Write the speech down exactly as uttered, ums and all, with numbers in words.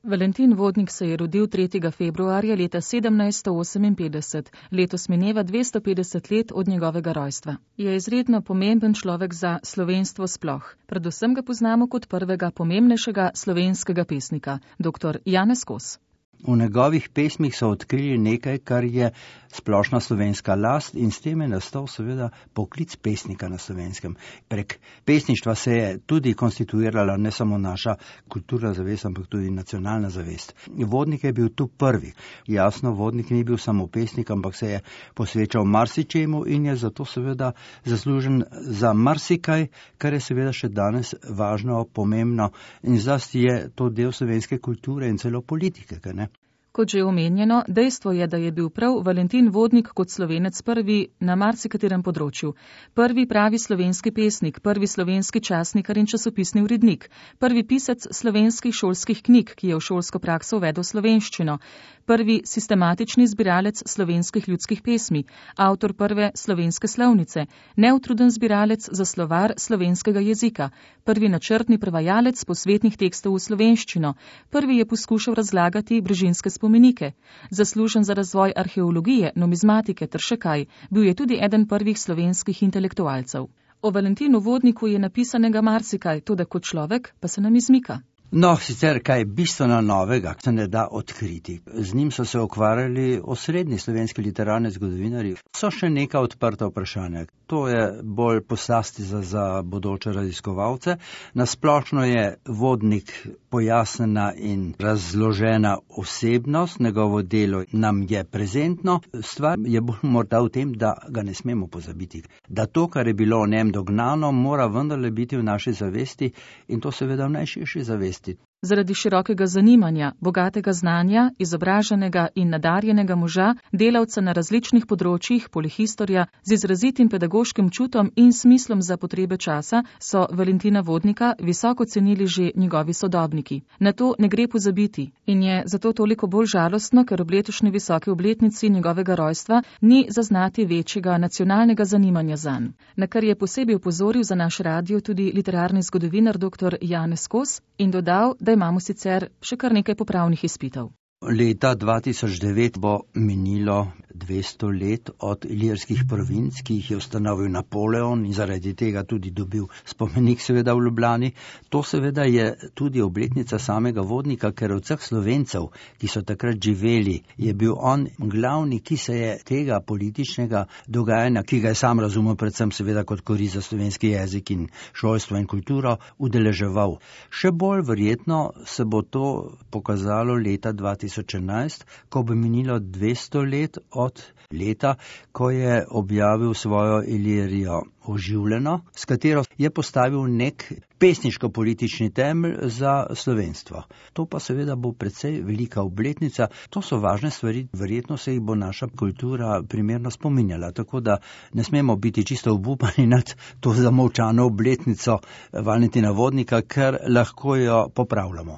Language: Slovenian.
Valentin Vodnik se je rodil tretjega februarja leta sedemnajststo oseminpetdeset. Letos mineva dvesto petdeset let od njegovega rojstva. Je izredno pomemben človek za slovenstvo sploh. Predvsem ga poznamo kot prvega pomembnejšega slovenskega pesnika, doktor Janez Kos. V njegovih pesmih so odkrili nekaj, kar je splošna slovenska last, in s tem je nastal seveda poklic pesnika na slovenskem. Prek pesništva se je tudi konstituirala ne samo naša kulturna zavest, ampak tudi nacionalna zavest. Vodnik je bil tu prvi. Jasno, Vodnik ni bil samo pesnik, ampak se je posvečal marsičemu in je zato seveda zaslužen za marsikaj, kar je seveda še danes važno, pomembno, in zlasti je to del slovenske kulture in celo politike, kaj ne? Kot že omenjeno, dejstvo je, da je bil prav Valentin Vodnik kot Slovenec prvi na marsikaterem področju. Prvi pravi slovenski pesnik, prvi slovenski časnikar in časopisni urednik, prvi pisec slovenskih šolskih knjig, ki je v šolsko prakso uvedel slovenščino, prvi sistematični zbiralec slovenskih ljudskih pesmi, avtor prve slovenske slovnice, neutruden zbiralec za slovar slovenskega jezika, prvi načrtni prevajalec posvetnih tekstov v slovenščino, prvi je poskušal razlagati brežinske spomenike, zaslužen za razvoj arheologije, numizmatike ter še kaj, bil je tudi eden prvih slovenskih intelektualcev. O Valentinu Vodniku je napisanega marsikaj, toda kot človek pa se nam izmika. No, sicer kaj bistveno novega se ne da odkriti. Z njim so se ukvarjali osrednji slovenski literarni zgodovinarji. So še neka odprta vprašanja. To je bolj poslasti za, za bodoče raziskovalce. Nasplošno je Vodnik pojasnjena in razložena osebnost, njegovo delo nam je prezentno. Stvar je bolj morda v tem, da ga ne smemo pozabiti. Da to, kar je bilo o njem dognano, mora vendarle biti v naši zavesti, in to seveda v najširši zavesti. Zaradi širokega zanimanja, bogatega znanja, izobraženega in nadarjenega moža, delavca na različnih področjih, polihistorja, z izrazitim pedagoškim čutom in smislom za potrebe časa, so Valentina Vodnika visoko cenili že njegovi sodobniki. Na to ne gre pozabiti in je zato toliko bolj žalostno, ker ob letošnji visoki obletnici njegovega rojstva ni zaznati večjega nacionalnega zanimanja zanj. Na kar je posebej opozoril za naš radio tudi literarni zgodovinar doktor Janez Kos in dodal, da imamo sicer še kar nekaj popravnih izpitov. Leta dva tisoč devet bo minilo dvesto let od ilirskih provinc, ki jih je ustanovil Napoleon in zaradi tega tudi dobil spomenik seveda v Ljubljani. To seveda je tudi obletnica samega Vodnika, ker od vseh Slovencev, ki so takrat živeli, je bil on glavni, ki se je tega političnega dogajanja, ki ga je sam razumel predvsem seveda kot korist za slovenski jezik in šolstvo in kulturo, udeleževal. Še bolj verjetno se bo to pokazalo leta dva tisoč enajst, ko bo minilo dvesto let od leta, ko je objavil svojo Ilirijo oživljeno, s katero je postavil nek pesniško-politični temelj za slovenstvo. To pa seveda bo precej velika obletnica. To so važne stvari, verjetno se jih bo naša kultura primerno spominjala, tako da ne smemo biti čisto obupani nad to zamolčano obletnico Valentina Vodnika, ker lahko jo popravljamo.